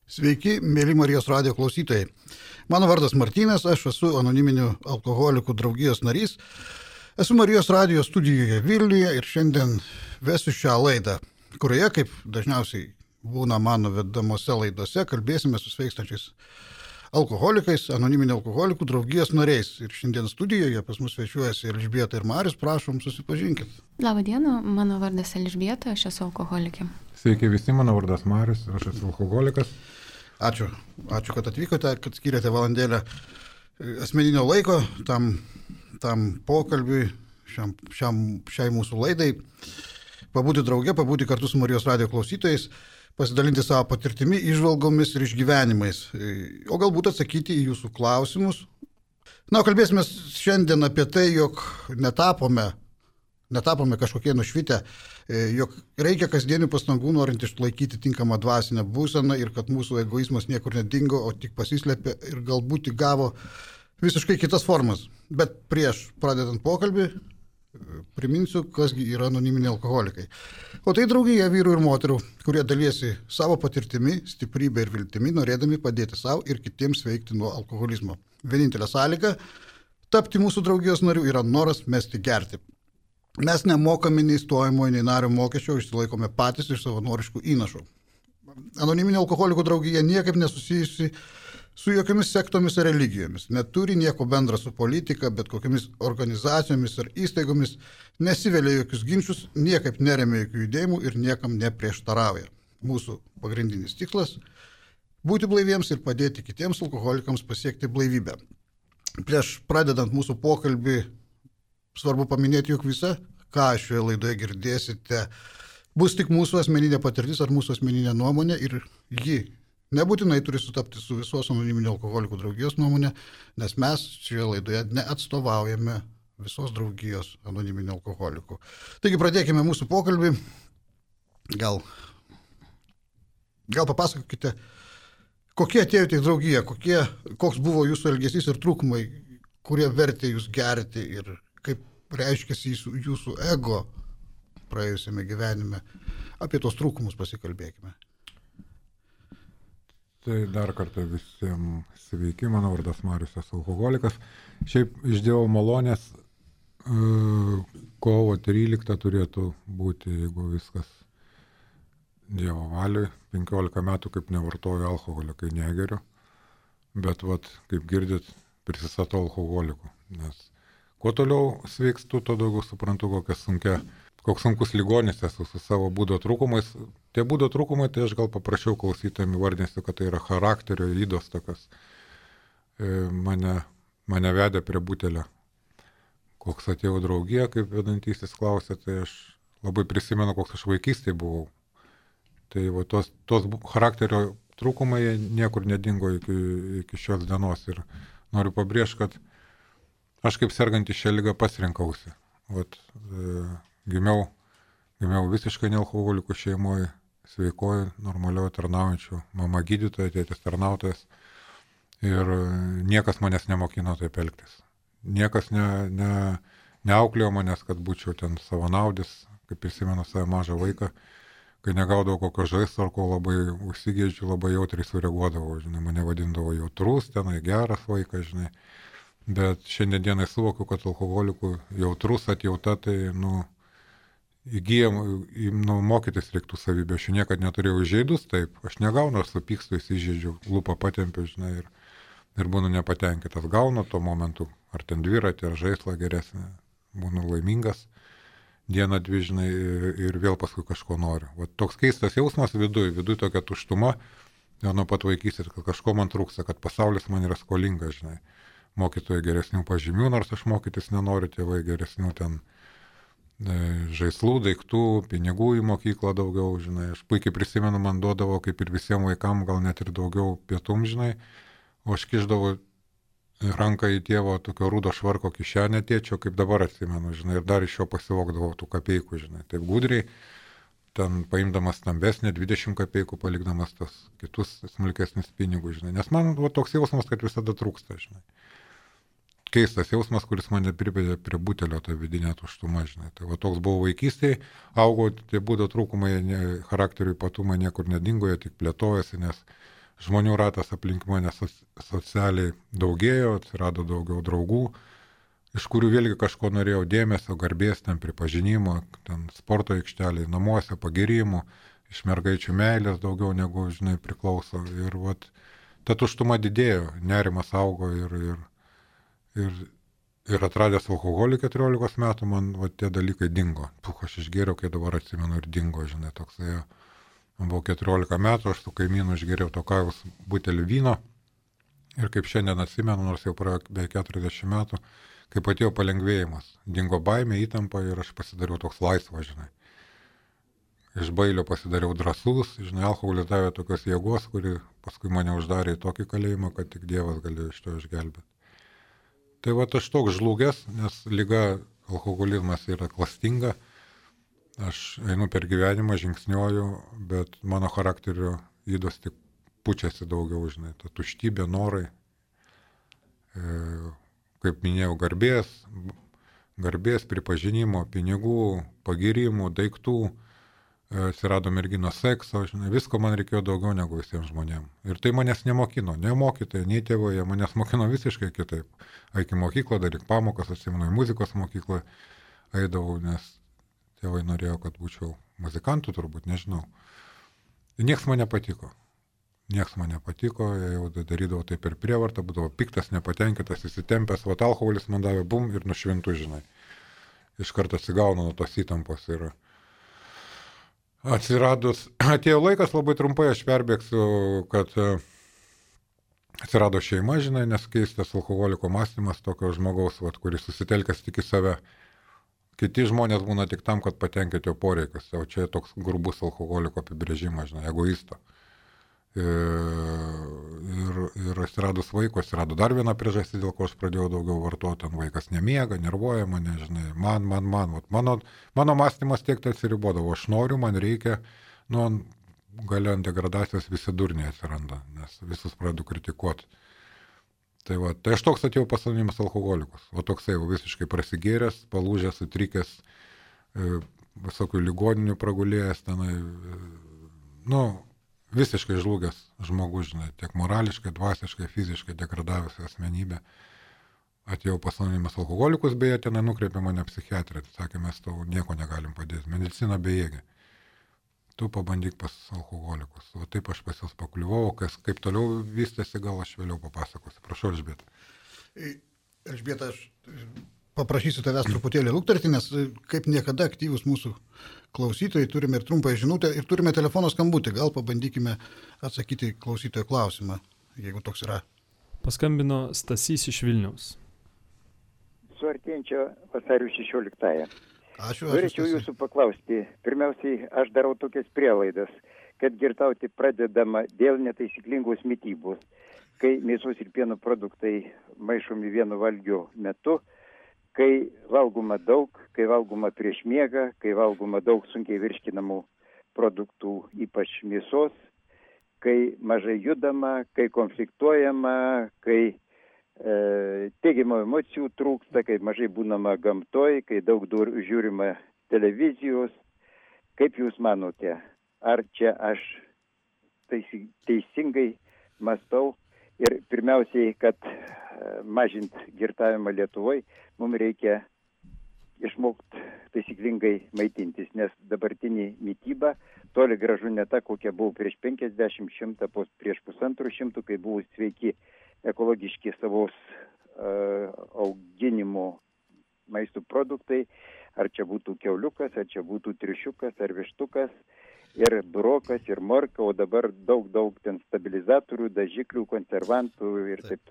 Sveiki, mėly Marijos radijo klausytojai. Mano vardas Martynas, aš esu anoniminių alkoholikų draugijos narys. Esu Marijos radijo studijoje Vilniuje ir šiandien vesiu šią laidą, kurioje, kaip dažniausiai būna mano vedamose laidose, kalbėsime su sveikstančiais alkoholikais, anoniminių alkoholikų draugijos nariais. Ir šiandien studijoje pas mus svečiuojasi Elžbieta ir Marius, prašom, susipažinkit. Labą dieną, mano vardas Elžbieta, aš esu alkoholikė. Sveiki visi, mano vardas Marius, aš esu alkoholikas. Ačiū, kad atvykote, kad skiriate valandėlę asmeninio laiko tam pokalbiui, šiai mūsų laidai. Pabūti drauge, pabūti kartu su Marijos radijo klausytojais, pasidalinti savo patirtimi, įžvalgomis ir išgyvenimais, o galbūt atsakyti į jūsų klausimus. Kalbėsime šiandien apie tai, jog netapome kažkokie nušvitę, jog reikia kasdienių pastangų norint išlaikyti tinkamą dvasinę būseną ir kad mūsų egoizmas niekur nedingo, o tik pasislėpė ir galbūt įgavo visiškai kitas formas. Bet prieš pradedant pokalbį, priminsiu, kasgi yra anoniminiai alkoholikai. O tai draugija vyrų ir moterų, kurie dalyjasi savo patirtimi, stiprybė ir viltimi, norėdami padėti savo ir kitiems sveikti nuo alkoholizmo. Vienintelė sąlyga tapti mūsų draugijos narių yra noras mesti gerti. Mes nemokame nei stojimo, nei nario mokesčio, išsilaikome patys iš savanoriškų įnašų. Anoniminė alkoholikų draugija niekaip nesusijusi su jokiamis sektomis ar religijomis, neturi nieko bendra su politika, bet kokiamis organizacijomis ar įstaigomis, nesivelia jokius ginčius, niekaip neremia jokių judėjimų ir niekam neprieštarauja. Mūsų pagrindinis tikslas – būti blaiviems ir padėti kitiems alkoholikams pasiekti blaivybę. Prieš pradedant mūsų pokalbį, svarbu paminėti, jog visa, ką šioje laidoje girdėsite, bus tik mūsų asmeninė patirtis ar mūsų asmeninė nuomonė ir ji nebūtinai turi sutapti su visos anoniminių alkoholikų draugijos nuomonė, nes mes šioje laidoje neatstovaujame visos draugijos anoniminių alkoholikų. Taigi pradėkime mūsų pokalbį. Gal papasakokite, kokie atėjote į draugiją, koks buvo jūsų elgesys ir trūkumai, kurie vertė jūs gerti ir kaip reiškiasi jūsų ego praėjusiame gyvenime. Apie tos trūkumus pasikalbėkime. Tai dar kartą visiems sveiki, mano vardas Marius, esu alkoholikas. Šiaip iš Dievo malonės kovo 13 turėtų būti, jeigu viskas Dievo valiui. 15 metų kaip nevartoju alkoholio, kai negeriu. Bet kaip girdit, prisistatau alkoholiku, nes kuo toliau sveikstu, to daugiau suprantu, koks sunkus ligonis esu su savo būdo trūkumais. Tie būdo trūkumai, tai aš gal paprašiau klausytojams įvardinsiu, kad tai yra charakterio ydos tokios. Mane vedė prie butelio. Koks atėjau draugiją, kaip vedantysis klausė, tai aš labai prisimenu, koks aš vaikystėje buvau. Tai tos charakterio trūkumai niekur nedingo iki šios dienos. Ir noriu pabrėžti, kad aš kaip sergantį šią ligą pasirinkausi. Gimiau visiškai nealkoholikų šeimoje, sveikoju, normalioje tarnaujančių, mama gydytoja, tėtis tarnautojas. Ir niekas manęs nemokino taip elgtis. Niekas neauklėjo manęs, kad būčiau ten savanaudis, kaip prisimenu savo mažą vaiką. Kai negaudavau kokio žaislo, ar ko labai užsigėdžiu, labai jautriai sureaguodavau. Mane vadindavo jautrus, tenai geras vaikas, Bet šiandien dienai suvokiu, kad alkoholikų jautrus atjauta, tai įgyjam, mokytis reiktų savybę. Aš niekad neturėjau įžeidus, taip, aš negaunu, aš supykstu, įsižeidžiu, lūpą patempiu, ir būnu nepatenkintas. Gaunu tuo momentu, ar ten dviratį, ar žaislą geresnį, būnu laimingas, dieną dvi, ir vėl paskui kažko noriu. Toks keistas jausmas viduj tokia tuštuma, nuo pat vaikystės, kad kažko man trūksta, kad pasaulis man yra skolingas, mokytojai geresnių pažymių, nors aš mokytis nenoriu, tėvai geresnių ten žaislų, daiktų, pinigų į mokyklą daugiau, Aš puikiai prisimenu, man duodavo, kaip ir visiems vaikams, gal net ir daugiau pietum, o aš kišdavau ranką į tėvo tokio rūdo švarko kišenę tėčio, kaip dabar atsimenu, ir dar iš jo pasivogdavau tų kapeikų, taip gudriai, ten paimdamas stambesnį 20 kapeikų, palikdamas tas kitus smulkesnis pinigus, Nes man toks jausmas, kad visada trūksta, Keistas jausmas, kuris mane privedė prie butelio, tą vidinę tuštumą, Tai toks buvo vaikystėje, augo, tie būdo trūkumai, charakterio ypatumai niekur nedingo, jie tik plėtojasi, nes žmonių ratas aplink mane socialiai daugėjo, atsirado daugiau draugų, iš kurių vėlgi kažko norėjau dėmesio, garbės, ten pripažinimo, ten sporto aikšteliai, namuose, pagirimų, iš mergaičių meilės daugiau negu, žinai, priklauso. Ir vat, ta tuštuma didėjo, nerimas augo ir atradęs alkoholį 14 metų, man vat, tie dalykai dingo. Aš išgėriau, kai dabar atsimenu, ir dingo, žinai, toksai. Man buvo 14 metų, aš su kaimynu išgėriau to kavos butelį vyno ir kaip šiandien atsimenu, nors jau praėjo beveik 40 metų, kaip atėjo palengvėjimas. Dingo baimė, įtampa ir aš pasidariau toks laisvas, žinai. Iš bailio pasidariau drąsus, žinai, alkoholis davė tokios jėgos, kuri paskui mane uždarė į tokį kalėjimą, kad tik Dievas galėjo iš to išgelbėti. Tai va aš toks žlugęs, nes liga alkoholizmas yra klastinga. Aš einu per gyvenimą, žingsniuoju, bet mano charakterio ydos tik pučiasi daugiau, žinai, ta tuštybė, norai. Kaip minėjau, garbės, pripažinimo, pinigų, pagirimų, daiktų, atsirado merginos sekso, žinai, visko man reikėjo daugiau negu visiems žmonėms. Ir tai manęs nemokino, nei mokytojai, nei tėvai, manęs mokino visiškai kitaip. Eik į mokyklą, daryk pamokas, atsimenu, į muzikos mokyklą eidavau, nes tėvai norėjo, kad būčiau muzikantų, turbūt, nežinau. Ir nieks man nepatiko. Jau darydavau tai per prievartą, būdavo piktas, nepatenkintas, įsitempęs, vat alkoholis man davė bum ir nušvintų, žinai. Iš karto atsigaunu nuo tos įtampos ir atėjo laikas, labai trumpai aš perbėgsiu, kad atsirado šeima, žinai, nes keistas alkoholiko mąstymas tokio žmogaus, vat, kuris susitelkęs tik į save. Kiti žmonės būna tik tam, kad patenkinti jo poreikius, o čia toks grubus alkoholiko apibrėžimas, žinai, egoisto. Ir atsiradus vaiko, atsirado dar viena priežastis, dėl ko aš pradėjau daugiau vartoti, vaikas nemiega, nervuoja mane, žinai, man. Mano mąstymas tiek tai atsiribodavo, aš noriu, man reikia, gale ant degradacijos visi durniai atsiranda, nes visus pradedu kritikuoti. Tai aš toks atėjau pas anonimus alkoholikus, o toksai visiškai prasigėręs, palūžęs, sutrikęs, visokių ligoninių pragulėjęs, tenai, visiškai žlugęs žmogus, žinai, tiek morališkai, dvasiškai, fiziškai degradavęs asmenybė. Atėjau pas anonimus alkoholikus, beje, tenai nukreipė mane psichiatrė, sakė, mes tau nieko negalim padėti, medicina bejėgė. Tu pabandyk pas alkoholikus. O taip aš pas juos pakliuvau, kaip toliau vystėsi, gal aš vėliau papasakosiu. Prašau, Elžbieta. Elžbieta, aš paprašysiu tavęs truputėlį lukterti, nes kaip niekada aktyvus mūsų klausytojai, turime ir trumpą žinutę ir turime telefono skambutį. Gal pabandykime atsakyti klausytojo klausimą, jeigu toks yra. Paskambino Stasys iš Vilniaus. Su artėjančio vasario 16-ąją. Ačiū. Norėčiau jūsų paklausti. Pirmiausiai, aš darau tokias prielaidas, kad girtauti pradedama dėl netaisyklingos mitybos, kai mėsos ir pieno produktai maišomi vienu valgio metu, kai valgoma daug, kai valgoma prieš miegą, kai valgoma daug sunkiai virškinamų produktų, ypač mėsos, kai mažai judama, kai konfliktuojama, kai teigiamų emocijų trūksta, kai mažai būnama gamtoj, kai daug žiūrima televizijos. Kaip jūs manote, ar čia aš teisingai mąstau? Ir pirmiausiai, kad mažint girtavimą Lietuvoje, mums reikia išmokti taisyklingai maitintis, nes dabartinė mityba toli gražu ne ta, kokia buvo prieš 50-100, prieš 150, kai buvo sveiki ekologiški savos auginimo maisto produktai, ar čia būtų kiauliukas, ar čia būtų triušiukas, ar vištukas, ir burokas, ir morka, o dabar daug ten stabilizatorių, dažiklių, konservantų ir taip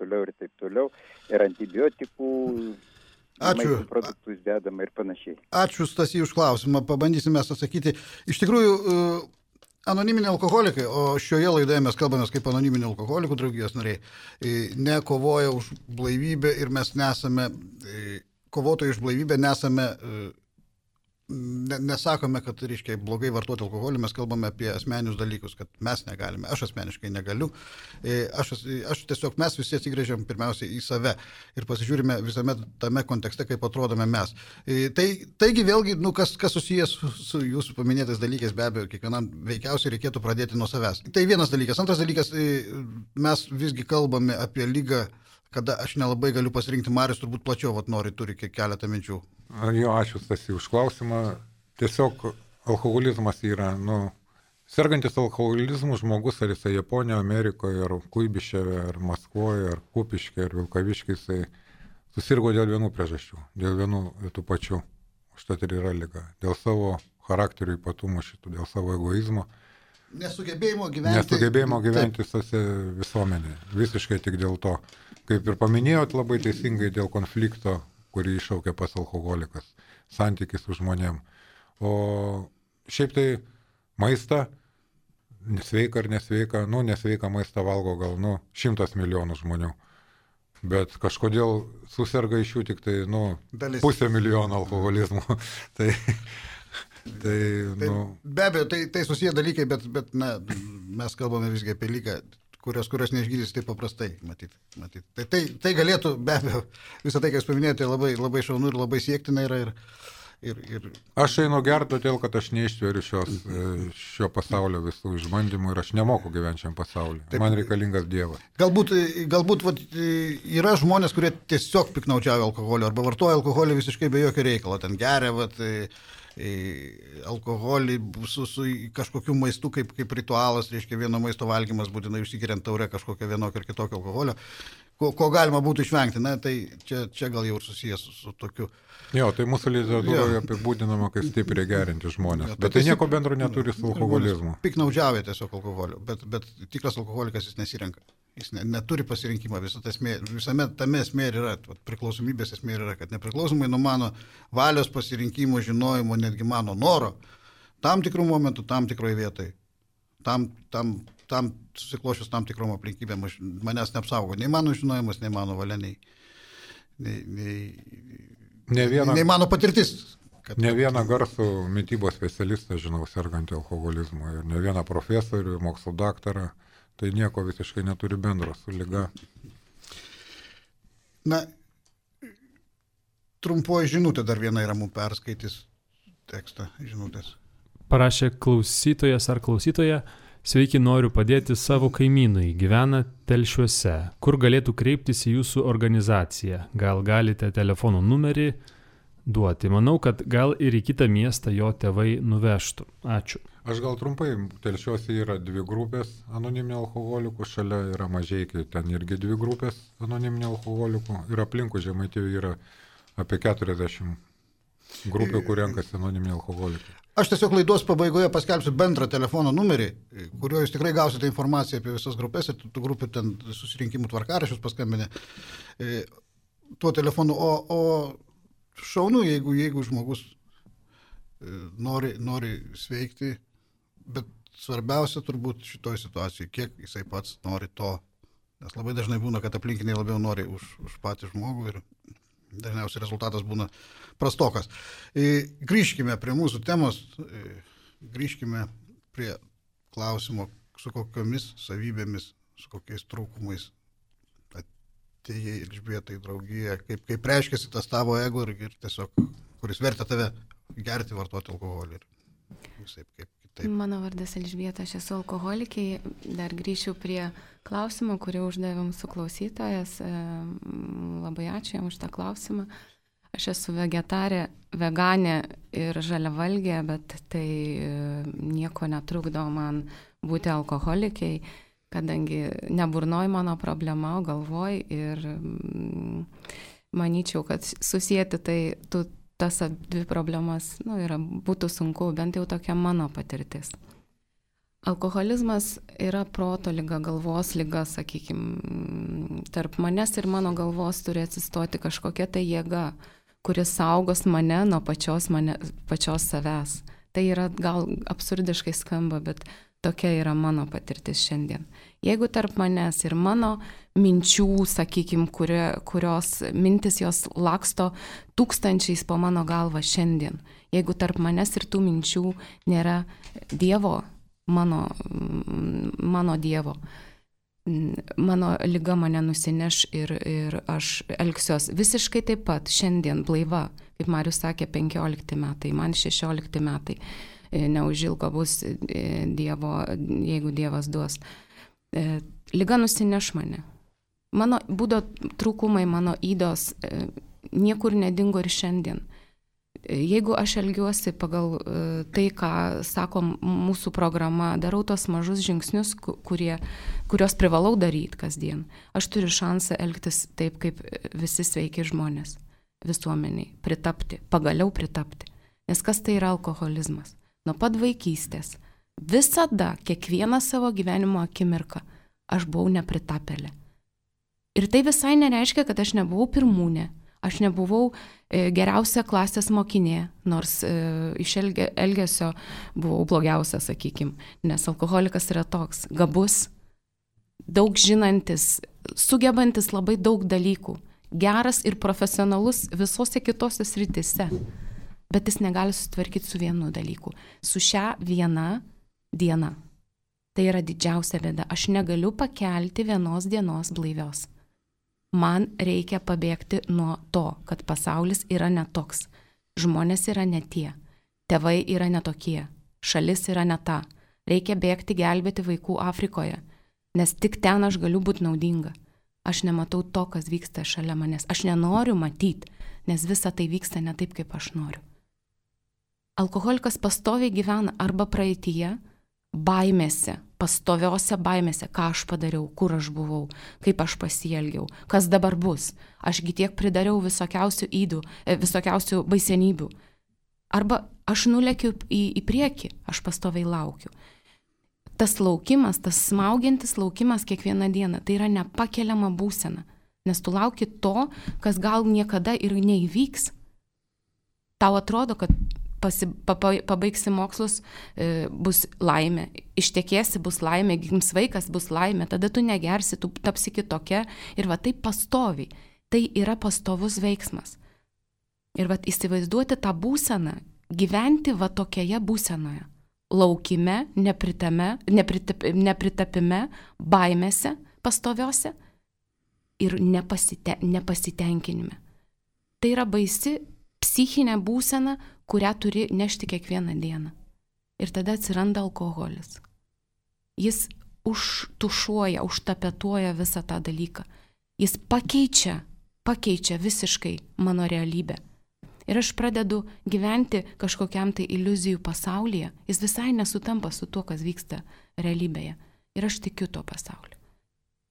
toliau, ir antibiotikų, maisto produktus dedama ir panašiai. Ačiū, Stasy, už klausimą, pabandysime atsakyti. Iš tikrųjų, anoniminiai alkoholikai, o šioje laidoje mes kalbame kaip anoniminių alkoholikų draugijos nariai, nekovoja už blaivybę ir mes nesame, kovotojai už blaivybę nesame nesakome, kad, reiškia, blogai vartoti alkoholį, mes kalbame apie asmeninius dalykus, kad mes negalime, aš asmeniškai negaliu. Aš tiesiog mes visi atsigrėžiam pirmiausia į save ir pasižiūrime visame tame kontekste, kaip atrodome mes. Taigi vėlgi, kas susijęs su jūsų paminėtais dalykais, be abejo, kiekvienam veikiausiai reikėtų pradėti nuo savęs. Tai vienas dalykas. Antras dalykas, mes visgi kalbame apie ligą, kada aš nelabai galiu pasirinkti. Marius turbūt plačiau turi keletą minčių. Jo, ačiū Stasi už klausimą. Tiesiog alkoholizmas yra, sergantis alkoholizmu žmogus, ar jisai Japonijoje, Amerikoje, ar Kuibiševe, ar Maskvoje, ar Kupiške, ar Vilkaviškai, jisai susirgo dėl vienų priežasčių, dėl vienų tų pačių. Užtat ir yra liga. Dėl savo charakterio ypatumų šitų, dėl savo egoizmo. Nesugebėjimo gyventi visuomenėje. Visiškai tik dėl to. Kaip ir paminėjot labai teisingai, dėl konflikto, kurį iššaukia pas alkoholikas, santykis su žmonėm. O šiaip tai maistą, sveika ar nesveika, nesveika maistą valgo gal 100 milijonų žmonių. Bet kažkodėl suserga iš jų tik tai 500 milijonų alkoholizmų. Be abejo, tai susiję dalykai, bet mes kalbame visgi apie lygą, kurios neišgydys taip paprastai, matyt. Tai galėtų, be abejo, visą tai, ką jūs paminėjote, labai, labai šaunu ir labai siektina yra. Aš einu gerti todėl, kad aš neištveriu šio pasaulio visų išbandymų ir aš nemoku gyventi šiam pasauliu. Man reikalingas Dievas. Galbūt yra žmonės, kurie tiesiog piknaudžiauja alkoholio arba vartoja alkoholį visiškai be jokio reikalo. Ten geria alkoholį su kažkokiu maistu kaip ritualas, reiškia vieno maisto valgymas, būtinai užsikiriant taurę kažkokio vienokio ir kitokio alkoholio, ko galima būtų išvengti. Tai čia gal jau ir susijęs su tokiu. Jo, tai mūsų literatūroje apibūdinama, kaip stipriai gerinti žmonės. Bet tai nieko bendro neturi su alkoholizmu. Piknaudžiauja tiesiog alkoholiu, bet tikras alkoholikas jis nesirenka. Jis neturi pasirinkimo. Visame tame esmė yra, priklausomybės esmė yra, kad nepriklausomai nuo mano valios pasirinkimo, žinojimo, netgi mano noro, tam tikrų momentų, tam tikroje vietoje, tam susiklošius tam tikrom aplinkybėm manęs neapsaugo. Nei mano žinojimas, nei mano valia, nei mano patirtis. Ne vieną garsų mitybos specialistą žinau sergantį alkoholizmu ir ne vieną profesorių, mokslo daktarą. Tai nieko visiškai neturi bendro su liga. Trumpoji žinutė dar viena yra mums perskaitys tekstą žinutės. Parašė klausytojas ar klausytoja: sveiki, noriu padėti savo kaimynui, gyvena Telšiuose. Kur galėtų kreiptis į jūsų organizaciją? Gal galite telefono numerį duoti? Manau, kad gal ir į kitą miestą jo tėvai nuvežtų. Ačiū. Aš gal trumpai, Telšiuose yra 2 grupės anoniminių alkoholikų, šalia yra Mažeikiai, ten irgi 2 grupės anoniminių alkoholikų ir aplinkų Žemaitijoje yra apie 40 grupių, kur renkasi anoniminiai alkoholikai. Aš tiesiog laidos pabaigoje paskelbsiu bendrą telefono numerį, kuriuo jūs tikrai gausite informaciją apie visas grupės ir tų grupių ten susirinkimų tvarkaraščius paskambinę tuo telefonu. O šaunu, jeigu žmogus nori sveikti, bet svarbiausia turbūt šitoj situacijai, kiek jisai pats nori to. Nes labai dažnai būna, kad aplinkiniai labiau nori už patį žmogų ir dažniausiai rezultatas būna prastokas. Grįžkime prie mūsų temos, grįžkime prie klausimo, su kokiomis savybėmis, su kokiais trūkumais atėjai Elžbieta į draugiją, kaip reiškiasi tas tavo ego ir tiesiog, kuris vertė tave gerti, vartoti alkoholį ir visaip kaip kitaip. Mano vardas Elžbieta, aš esu alkoholikė. Dar grįšiu prie klausimo, kurį uždavėm su klausytojas. Labai ačiū jam už tą klausimą. Aš esu vegetarė, veganė ir žaliavalgė, bet tai nieko netrukdo man būti alkoholikiai, kadangi ne burnoj mano problema, o galvoj. Ir manyčiau, kad susijęti tas 2 problemas būtų sunku, bent jau tokia mano patirtis. Alkoholizmas yra proto liga, galvos liga, sakykime. Tarp manęs ir mano galvos turi atsistoti kažkokia tai jėga, kuris saugos mane nuo pačios savęs. Tai yra gal absurdiškai skamba, bet Tokia yra mano patirtis šiandien. Jeigu tarp manęs ir mano minčių, sakykime, kurios mintis jos laksto tūkstančiais po mano galvą šiandien, jeigu tarp manęs ir tų minčių nėra Dievo, mano Dievo, mano liga mane nusineš ir aš elgsiuos visiškai taip pat šiandien blaiva, kaip Marius sakė, 15 metai, man 16 metai. Neužilgo bus Dievo, jeigu Dievas duos. Liga nusineš mane. Mano būdo trūkumai, mano ydos niekur nedingo ir šiandien. Jeigu aš elgiuosi pagal tai, ką sako mūsų programa, darau tos mažus žingsnius, kuriuos privalau daryti kasdien, aš turiu šansą elgtis taip, kaip visi sveiki žmonės visuomeniai, pagaliau pritapti. Nes kas tai yra alkoholizmas? Nuo pat vaikystės, visada, kiekvieną savo gyvenimo akimirką, aš buvau nepritapėlė. Ir tai visai nereiškia, kad aš nebuvau pirmūnė, aš nebuvau geriausia klasės mokinė, nors iš elgesio buvau blogiausia, sakykim, nes alkoholikas yra toks gabus, daug žinantis, sugebantis labai daug dalykų, geras ir profesionalus visose kitose srityse. Bet jis negali sutvarkyti su vienu dalyku. Su šia viena diena. Tai yra didžiausia bėda. Aš negaliu pakelti vienos dienos blaivios. Man reikia pabėgti nuo to, kad pasaulis yra netoks. Žmonės yra ne tie. Tėvai yra netokie. Šalis yra ne ta. Reikia bėgti gelbėti vaikų Afrikoje. Nes tik ten aš galiu būti naudinga. Aš nematau to, kas vyksta šalia manęs. Aš nenoriu matyti, nes visa tai vyksta ne taip, kaip aš noriu. Alkoholikas pastoviai gyvena arba praeityje, baimėse, pastoviose baimėse, ką aš padariau, kur aš buvau, kaip aš pasielgiau, kas dabar bus. Ašgi tiek pridariau visokiausių ydų, visokiausių baisenybių. Arba aš nulekiu į priekį, aš pastoviai laukiu. Tas laukimas, tas smaugiantis laukimas kiekvieną dieną, tai yra nepakeliama būsena, nes tu lauki to, kas gal niekada ir neįvyks. Tau atrodo, kad pabaigsi mokslus, bus laimė, ištekėsi, bus laimė, gims vaikas, bus laimė, tada tu negersi, tu tapsi kitokia ir va taip pastoviai. Tai yra pastovus veiksmas. Ir va įsivaizduoti tą būseną, gyventi va tokioje būsenoje, laukime, nepritapime, baimėse pastoviose ir nepasitenkinime. Tai yra baisi psichinė būsena, kurią turi nešti kiekvieną dieną. Ir tada atsiranda alkoholis. Jis užtušuoja, užtapetuoja visą tą dalyką. Jis pakeičia visiškai mano realybę. Ir aš pradedu gyventi kažkokiam tai iliuzijų pasaulyje. Jis visai nesutampa su tuo, kas vyksta realybėje. Ir aš tikiu tuo pasauliu.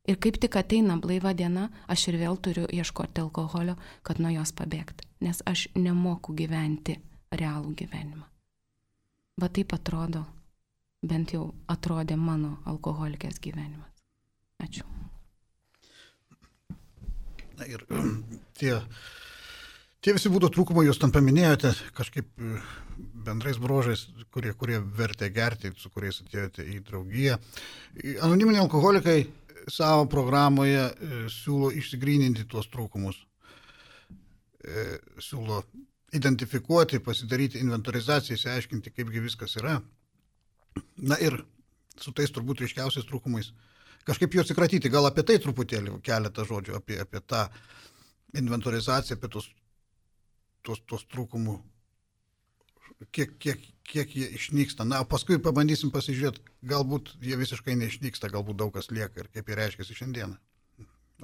Ir kaip tik ateina blaiva diena, aš ir vėl turiu ieškoti alkoholio, kad nuo jos pabėgti. Nes aš nemoku gyventi realų gyvenimą. Va taip atrodo, bent jau atrodė mano alkoholikės gyvenimas. Ačiū. Na ir tie visi būdo trūkumai, jūs tam paminėjote kažkaip bendrais bruožais, kurie vertė gerti, su kuriais atėjote į draugiją. Anoniminiai alkoholikai savo programoje siūlo išsigryninti tuos trūkumus. Siūlo identifikuoti, pasidaryti inventorizaciją, išsiaiškinti, kaipgi viskas yra. Na ir su tais turbūt ryškiausiais trūkumais kažkaip juos atsikratyti. Gal apie tai truputėlį keletą žodžių, apie tą inventorizaciją, apie tuos trūkumų, kiek jie išnyksta. Na, paskui pabandysim pasižiūrėti, galbūt jie visiškai neišnyksta, galbūt daug kas lieka ir kaip jie reiškiasi šiandieną.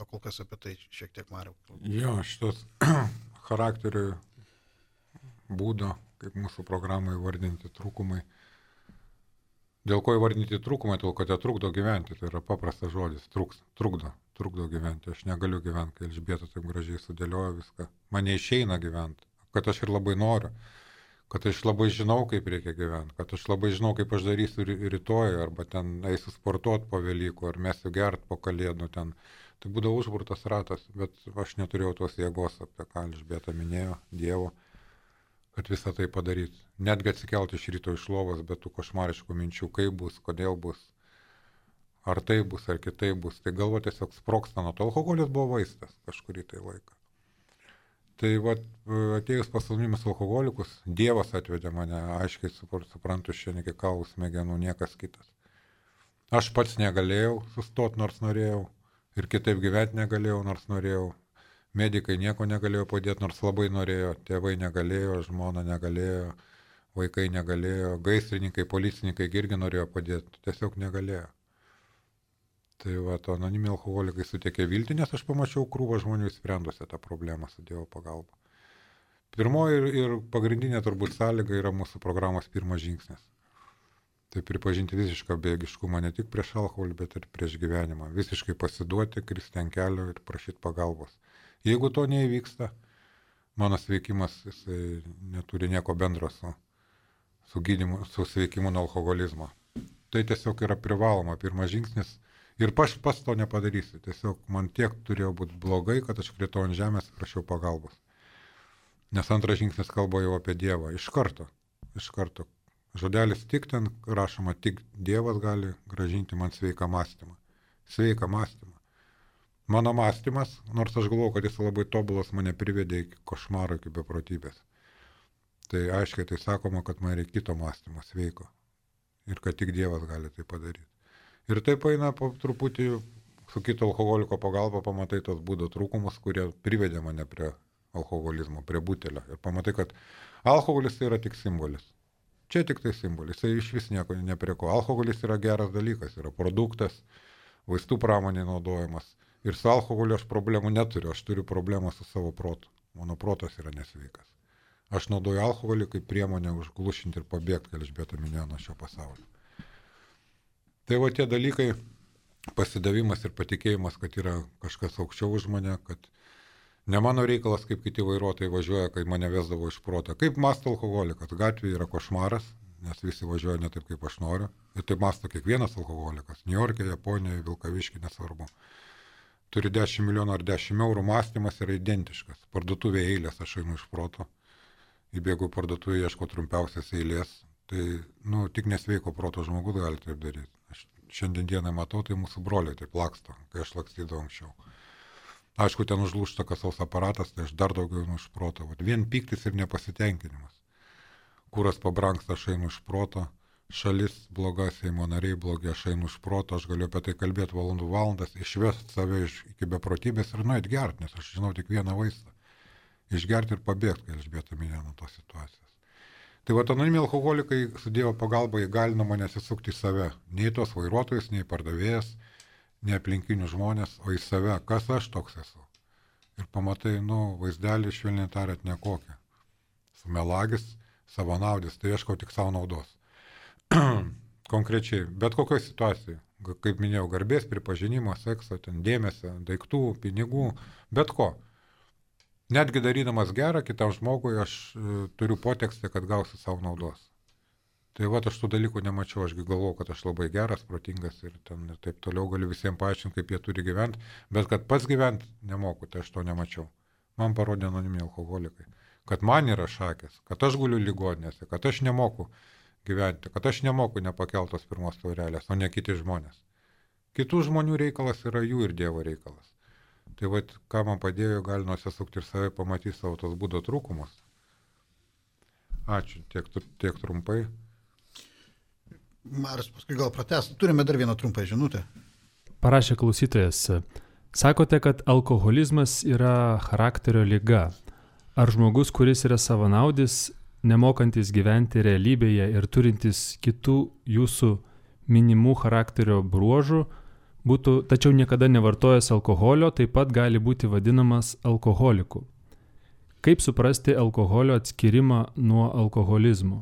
O kol kas apie tai šiek tiek Mariau. Jo, šitas charakterių būdo, kaip mūsų programai įvardinti trūkumai. Dėl ko įvardinti trūkumai, dėl ko tai trukdo gyventi, tai yra paprastas žodis, trukdo gyventi. Aš negaliu gyventi, kai Elžbieta taip gražiai sudėlioja viską. Man neišeina gyventi, kad aš ir labai noriu, kad aš labai žinau, kaip reikia gyventi, kad aš labai žinau, kaip aš darysiu rytoj, arba ten eisiu sportuoti po Velykų, ar mesiu gert po Kalėdų ten. Tai būdavo užburtas ratas, bet aš neturėjau tos jėgos, apie ką Elžbieta minėjo, Dievo. kad visą tai padaryti. Netgi atsikelti iš ryto iš lovos, bet tų košmariškų minčių, kaip bus, kodėl bus, ar tai bus, ar kitai bus. Tai galva tiesiog sproksta nuo to. Alkoholis buvo vaistas kažkurį tai laiką. Tai atėjus pas anonimius alkoholikus, Dievas atvedė mane, aiškiai suprantu, šiandien iki kaulų smegenų niekas kitas. Aš pats negalėjau sustoti, nors norėjau, ir kitaip gyventi negalėjau, nors norėjau. Medikai nieko negalėjo padėti, nors labai norėjo, tėvai negalėjo, žmona negalėjo, vaikai negalėjo, gaisrininkai, policininkai irgi norėjo padėti, tiesiog negalėjo. Tai anoniminiai alkoholikai suteikė viltį, nes aš pamačiau krūvą žmonių įsprendusią tą problemą su Dievo pagalba. Pirmoji ir pagrindinė turbūt sąlyga yra mūsų programos pirmas žingsnis. Tai pripažinti visišką bejėgiškumą ne tik prieš alkoholį, bet ir prieš gyvenimą. Visiškai pasiduoti, kristi ant kelio ir prašyti pagalbos. Jeigu to neįvyksta, mano sveikimas jisai neturi nieko bendro su gydymu, su sveikimu nuo alkoholizmo. Tai tiesiog yra privaloma pirmas žingsnis. Ir aš pats to nepadarysiu. Tiesiog man tiek turėjo būti blogai, kad aš kritau ant žemės ir prašiau pagalbos. Nes antras žingsnis kalba jau apie Dievą. Iš karto. Žodelis tik ten rašoma, tik Dievas gali gražinti man sveiką mąstymą. Sveiką mąstymą. Mano mąstymas, nors aš galvoju, kad jis labai tobulas, mane privedė iki košmaro, iki beprotybės. Tai aiškiai tai sakoma, kad man reikia kito mąstymo, sveiko. Ir kad tik Dievas gali tai padaryti. Ir taip eina po truputį su kito alkoholiko pagalba, pamatai tos būdo trūkumus, kurie privedė mane prie alkoholizmo, prie butelio. Ir pamatai, kad alkoholis tai yra tik simbolis. Čia tik tai simbolis, tai iš vis nieko neprieko. Alkoholis yra geras dalykas, yra produktas, vaistų pramonė naudojamas. Ir su alkoholiu aš problemų neturiu, aš turiu problemą su savo protu. Mano protas yra nesveikas. Aš naudoju alkoholį kaip priemonę užglušinti ir pabėgti, kad Elžbieta minėjo, nuo šio pasaulio. Tai tie dalykai, pasidavimas ir patikėjimas, kad yra kažkas aukščiau už mane, kad ne mano reikalas, kaip kiti vairuotojai važiuoja, kai mane vesdavo iš proto. Kaip mąsto alkoholikas? Gatvėje yra košmaras, nes visi važiuoja ne taip, kaip aš noriu. Ir taip mąsto kiekvienas alkoholikas. Niujorke, Japonijoje, Vilkavišky, nesvarbu. Turi 10 milijonų ar 10 eurų, mąstymas yra identiškas. Parduotuvėje eilės, aš einu iš proto. Įbėgu parduotuvėje, ieško trumpiausias eilės. Tai, tik nesveiko proto žmogus gali taip daryti. Aš šiandien dieną matau, tai mūsų broliai taip laksto, kai aš lakstydavau anksčiau. Aišku, ten užlūžta kasos aparatas, tai aš dar daugiau einu iš proto. Vien pyktis ir nepasitenkinimas. Kuras pabrangsta, aš einu iš proto. Šalis bloga, Seimo nariai blogi, aš einu iš proto. Aš galiu apie tai kalbėti valandas, išvesti save iki beprotybės ir nueit gerti, nes aš žinau tik vieną vaistą. Išgerti ir pabėgti, kai Elžbieta minėjo nuo tos situacijos. Tai anoniminiai alkoholikai su Dievo pagalba įgalino mane atsisukti į save. Nei tos vairuotojus, nei pardavėjas, nei aplinkinių žmonės, o į save. Kas aš toks esu? Ir pamatai, vaizdelį švelniai tariant nekokią. Sumelagis, savanaudis, tai ieškau tik savo naudos. Konkrečiai, bet kokioje situacijoje, kaip minėjau, garbės, pripažinimo, sekso, dėmesio, daiktų, pinigų, bet ko. Netgi darydamas gerą kitam žmogui, aš turiu potekstę, kad gausiu savo naudos. Tai aš tų dalykų nemačiau, ašgi galvoju, kad aš labai geras, protingas ir taip toliau galiu visiems paaiškinti, kaip jie turi gyventi, bet kad pats gyventi nemoku, tai aš to nemačiau. Man parodė anoniminiai alkoholikai, kad man yra šakės, kad aš guliu ligoninėse, kad aš nemoku gyventi, kad aš nemoku nepakeltos pirmos taurelės, o ne kiti žmonės. Kitų žmonių reikalas yra jų ir Dievo reikalas. Tai ką man padėjo, gali nusisukti ir save pamatyti savo tos būdo trūkumus. Ačiū, tiek trumpai. Marius, paskui gal pratęs. Turime dar vieną trumpą žinutę. Parašė klausytojas. Sakote, kad alkoholizmas yra charakterio liga. Ar žmogus, kuris yra savanaudis, nemokantis gyventi realybėje ir turintis kitų jūsų minimų charakterio bruožų, tačiau niekada nevartojęs alkoholio, taip pat gali būti vadinamas alkoholiku? Kaip suprasti alkoholio atskirimą nuo alkoholizmo?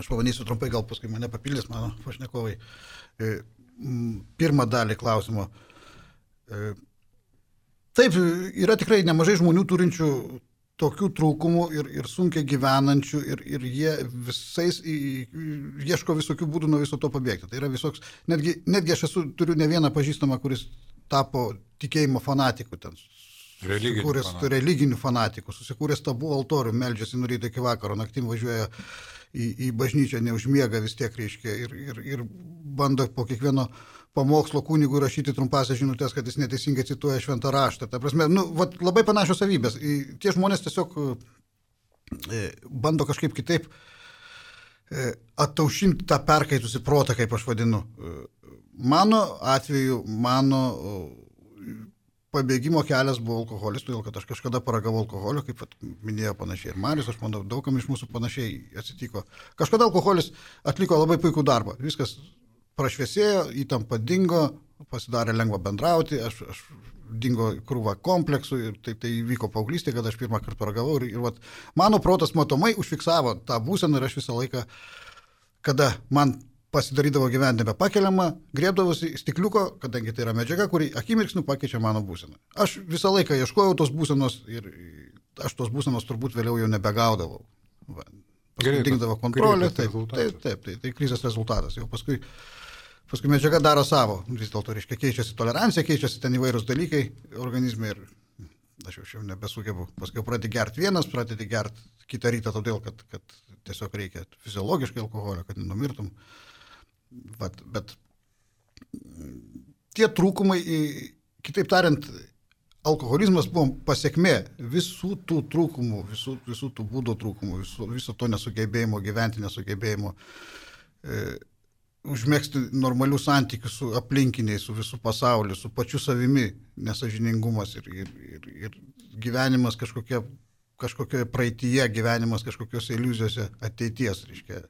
Aš pabandysiu trumpai, gal paskui mane papildys mano pašnekovai. Pirmą dalį klausimo. Taip, yra tikrai nemažai žmonių turinčių tokių trūkumų ir sunkiai gyvenančių ir jie visais ieško visokių būdų nuo viso to pabėgti. Tai yra visoks, netgi aš turiu ne vieną pažįstamą, kuris tapo tikėjimo fanatiku, ten religinių fanatikų, susikūręs tabų altorių, meldžiasi nuo ryto iki vakaro, naktim važiuoja į bažnyčią, neužmiega vis tiek, reiškia, ir bando po kiekvieno pamokslo kunigų rašyti trumpasias žinutės, kad jis neteisingai cituoja šventą raštą. Ta prasme, labai panašios savybės. Tie žmonės tiesiog bando kažkaip kitaip attaušinti tą perkaitusi protą, kaip aš vadinu. Mano atveju, pabėgimo kelias buvo alkoholis, todėl kad aš kažkada paragavau alkoholio, kaip minėjo panašiai ir Marius, aš manau, daugam iš mūsų panašiai atsitiko. Kažkada alkoholis atliko labai puikų darbą, viskas prašviesėjo, įtampa dingo, pasidarė lengva bendrauti, aš dingo krūva kompleksų ir tai vyko paauglystė, kad aš pirmą kartą paragavau ir mano protas matomai užfiksavo tą būseną ir aš visą laiką, kada man pasidarydavo gyventi nebepakeliama, griebdavosi stikliuko, kadangi tai yra medžiaga, kuri akimirksniu pakeičia mano būseną. Aš visą laiką ieškojau tos būsenos ir aš tos būsenos turbūt vėliau jau nebegaudavau. Paskui dingdavo kontrolė, tai krizės rezultatas. Jau paskui medžiaga daro savo, vis dėlto, reiškia, keičiasi tolerancija, keičiasi ten įvairūs dalykai organizme ir aš jau nebesugebu. Paskui pradedi gerti vienas, pradedi gerti kitą rytą, todėl, kad tiesiog reikia fiziologiškai alkoholio, kad nenumirtum. Bet tie trūkumai, kitaip tariant, alkoholizmas buvo pasiekmė visų tų trūkumų, visų tų būdo trūkumų, viso to nesugebėjimo gyventi, nesugebėjimo užmėgsti normalių santykių su aplinkiniais, su visų pasauliu, su pačiu savimi, nesažiningumas ir gyvenimas kažkokia praeityje, gyvenimas kažkokiose iliuzijose ateities, reiškia.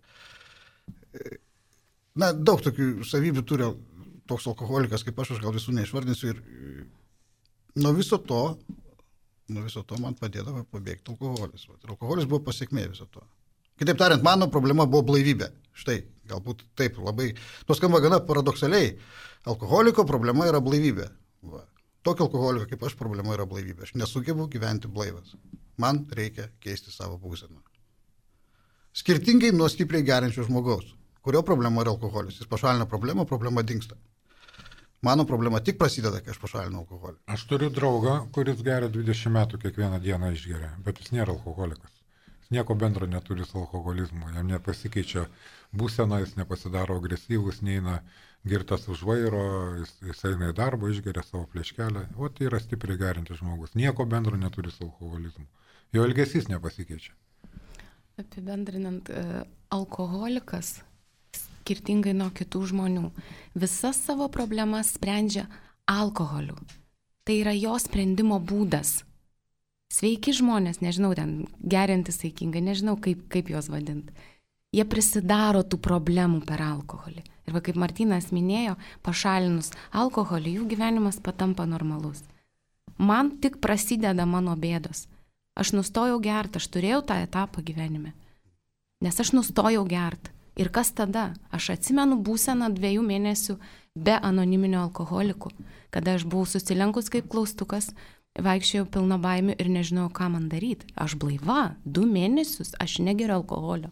Daug tokių savybių turi toks alkoholikas, kaip aš gal visų neišvardinsiu ir nuo viso to man padėdavo pabėgti alkoholis. Ir alkoholis buvo pasiekmė viso to. Kitaip tariant, mano problema buvo blaivybė. Štai, galbūt taip labai, skamba gana paradoksaliai, alkoholiko problema yra blaivybė. Tokio alkoholiko kaip aš problema yra blaivybė. Aš nesugebu gyventi blaivas. Man reikia keisti savo būseną. Skirtingai nuo stipriai geriančio žmogaus, kurio problema yra alkoholis. Jis pašalina problemą, problema dingsta. Mano problema tik prasideda, kai aš pašalinu alkoholį. Aš turiu draugą, kuris geria 20 metų kiekvieną dieną išgeria, bet jis nėra alkoholikas. Jis nieko bendro neturi su alkoholizmu, jam nepasikeičia būsena, jis nepasidaro agresyvus, neina girtas už vairo, jis eina į darbą, išgeria savo plėškelę. O tai yra stipriai gerintis žmogus. Nieko bendro neturi su alkoholizmu. Jo elgesys nepasikeičia. Apibendrinant, alkoholikas skirtingai nuo kitų žmonių visas savo problemas sprendžia alkoholiu. Tai yra jo sprendimo būdas. Sveiki žmonės, nežinau, ten geriantys saikingai, nežinau kaip juos vadinti. Jie prisidaro tų problemų per alkoholį. Ir kaip Martynas minėjo, pašalinus alkoholį, jų gyvenimas patampa normalus. Man tik prasideda mano bėdos. Aš nustojau gerti, aš turėjau tą etapą gyvenime. Nes aš nustojau gerti. Ir kas tada? Aš atsimenu būseną 2 mėnesių be anoniminio alkoholikų, kada aš buvau susilenkus kaip klaustukas, vaikščiojau pilna baimių ir nežinojau, ką man daryti. Aš blaiva, 2 mėnesius, aš negeriu alkoholio.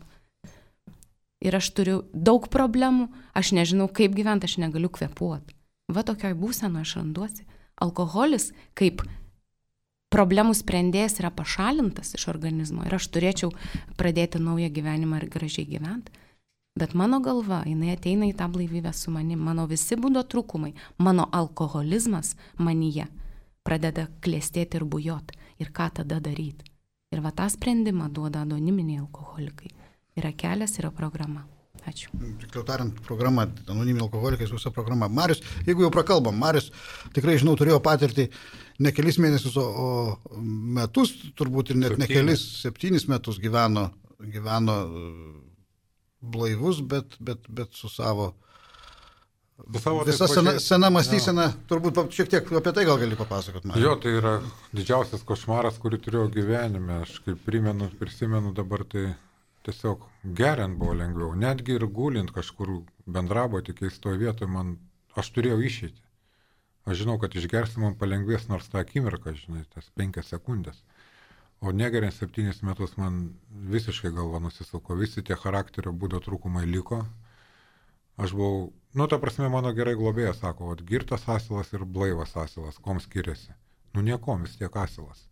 Ir aš turiu daug problemų, aš nežinau, kaip gyventi, aš negaliu kvėpuoti. Va tokioj būsenoje aš randuosi. Alkoholis kaip problemų sprendėjas yra pašalintas iš organizmo ir aš turėčiau pradėti naują gyvenimą ir gražiai gyventi. Bet mano galva, jinai ateina į tą blaivybę su manim, mano visi būdo trūkumai, mano alkoholizmas manyje pradeda klestėti ir bujoti. Ir ką tada daryti? Ir va tą sprendimą duoda anoniminiai alkoholikai. Yra kelias, yra programa. Ačiū. Tikliau tariant, programa, anoniminiai alkoholikai, visa programa. Marius, jeigu jau prakalbam, Marius tikrai, žinau, turėjo patirtį ne kelis mėnesius, o metus, turbūt ir net ne kelis, 7 metus gyveno blaivus, bet su savo visa sena mąstysena, turbūt šiek tiek apie tai gal gali papasakot man. Jo, tai yra didžiausias košmaras, kurį turėjau gyvenime. Aš kaip prisimenu dabar, tai tiesiog geriant buvo lengviau. Netgi ir gulint kažkur bendrabuty keistoje vietoje, aš turėjau išeiti. Aš žinau, kad išgersi man palengvės nors tą akimirką, žinai, tas 5 sekundės. O negeriant 7 metus man visiškai galva nusisuko, visi tie charakterio būdo trūkumai liko. Aš buvau, ta prasme, mano gerai globėjas sako, girtas asilas ir blaivas asilas, kom skiriasi. Nu niekom vis tiek asilas.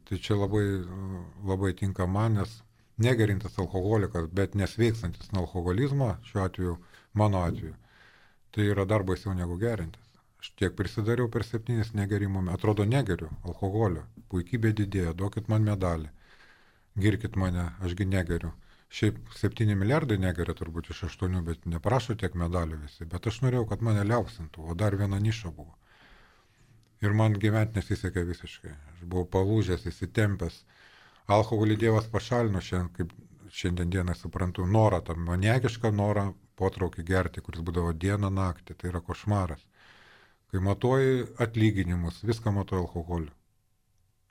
Tai čia labai, labai tinka man, nes negerintas alkoholikas, bet nesveikstantis nuo alkoholizmo, šiuo atveju, mano atveju, tai yra dar baisiau negu gerintis. Aš tiek prisidariau per 7 negerimo, atrodo negeriu alkoholio, puikybė didėja, duokit man medalį, girkit mane, ašgi negeriu. Šiaip 7 milijardai negeria turbūt iš 8, bet neprašo tiek medalių visi, bet aš norėjau, kad mane liaupsintų, o dar viena niša buvo. Ir man gyventi nesisekė visiškai. Aš buvau palūžęs, įsitempęs. Alkoholį Dievas pašalino šiandien, kaip šiandien dieną suprantu, norą, tą maniakišką norą potraukį gerti, kuris būdavo dieną naktį. Tai yra košmaras. Kai matuoji atlyginimus, viską matuoji alkoholiu.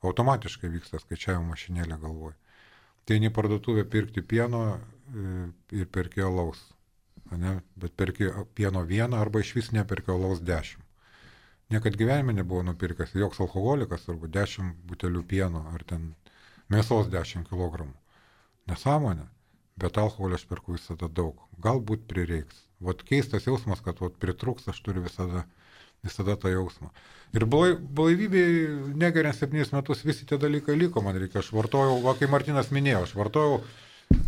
Automatiškai vyksta skaičiavimo mašinėlė galvoj. Tai eini parduotuvę pirkti pieno ir perki alaus. Ne? Bet perki pieno 1 arba iš vis neperki alaus 10. Niekad gyvenime nebuvo nupirkęs joks alkoholikas, arba 10 butelių pieno, ar ten mėsos 10 kg. Nesąmonė, bet alkoholio aš perku visada daug. Galbūt prireiks. Vat keistas jausmas, kad vat pritrūks, aš turiu visada tą jausmą. Ir blaivybėje negeriant 7 metus visi tie dalykai liko, man reikia. Aš vartojau, va, kai Martinas minėjo, aš vartojau,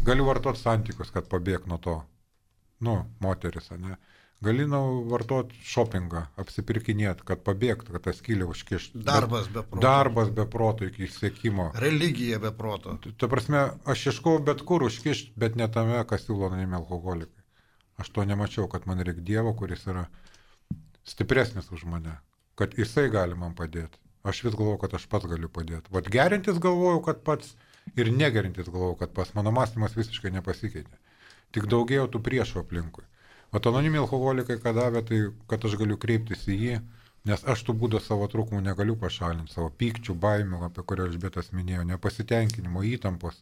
galiu vartoti santykius, kad pabėg nuo to. Nu, moteris, ne? Gali vartoti shoppingą, apsipirkinėti, kad pabėgtų, kad tą skylę užkištų. Darbas be proto iki siekimo. Religija be proto. Ta prasme, aš ieškau bet kur užkišti, bet ne tame, kas siūlo anonimi alkoholikai. Aš to nemačiau, kad man reikia Dievo, kuris yra stipresnis už mane, kad jisai gali man padėti. Aš vis galvoju, kad aš pats galiu padėti. Vat gerintis galvoju, kad pats, ir negerintis galvoju, kad pats. Mano mąstymas visiškai nepasikeitė. Tik daugėjo tų priešų aplinkui. O anonimi alkoholikai, ką davė, tai kad aš galiu kreiptis į jį, nes aš tų būdo savo trūkumų negaliu pašalinti, savo pykčių, baimių, apie kurią Elžbietas minėjo, nepasitenkinimo, įtampos.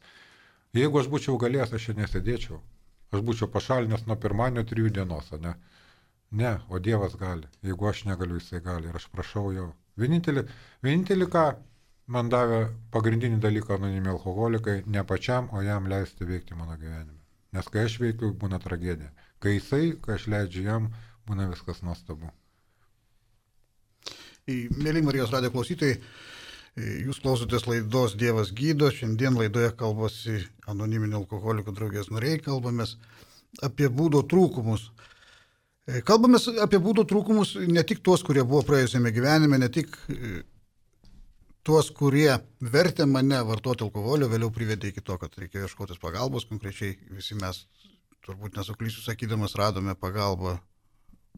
Jeigu aš būčiau galėjęs, aš čia nesėdėčiau. Aš būčiau pašalinęs nuo pirmadienio 3 dienos, ne? Ne, o Dievas gali. Jeigu aš negaliu, jisai gali. Ir aš prašau jo. Vienintelį, ką man davė pagrindinį dalyką anonimi alkoholikai, ne pačiam, o jam leisti veikti mano gyvenime. Nes kai aš veikiu, būna tragedija. Kai aš leidžiu jam, būna viskas nuostabu. Mėly Marijos radijo klausytojai, jūs klausotės laidos Dievas gydo. Šiandien laidoje kalbasi anoniminių alkoholikų draugijos nariai, kalbamės apie būdo trūkumus. Kalbamės apie būdo trūkumus ne tik tuos, kurie buvo praėjusiame gyvenime, ne tik tuos, kurie vertė mane vartoti alkoholio, vėliau privedė iki to, kad reikėjo ieškotis pagalbos. Konkrečiai visi mes, turbūt nesuklysiu sakydamas, radome pagalbą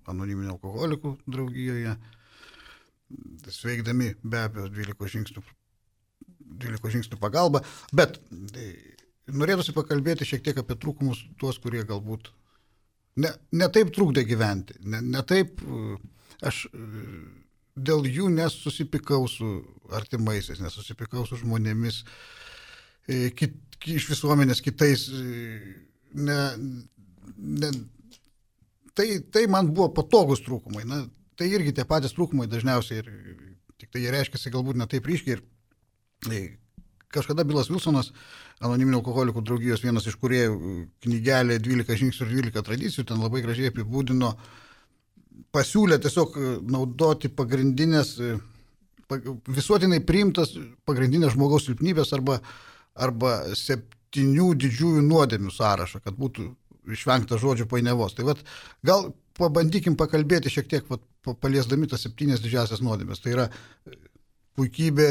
anoniminių alkoholikų draugijoje, sveikdami be abejo 12 žingsnių pagalba. Bet norėtųsi pakalbėti šiek tiek apie trūkumus tuos, kurie galbūt ne taip trukdė gyventi, ne taip aš dėl jų nesusipykau su artimaisiais, nesusipykau su žmonėmis, iš visuomenės kitais. Tai man buvo patogus trūkumai. Tai irgi tie patys trūkumai dažniausiai, tik tai jie reiškiasi galbūt ne taip ryškiai. Kažkada Bilas Wilsonas, anoniminių alkoholikų draugijos vienas iš kūrėjų, knygelė 12 žingsnių ir 12 tradicijų, ten labai gražiai apibūdino, pasiūlė tiesiog naudoti pagrindinės, visuotinai priimtas pagrindinės žmogaus silpnybės arba 7 didžiųjų nuodėmių sąrašą, kad būtų išvengta žodžių painiavos. Tai gal pabandykim pakalbėti šiek tiek, paliesdami tas 7 didžiasias nuodėmės. Tai yra puikybė,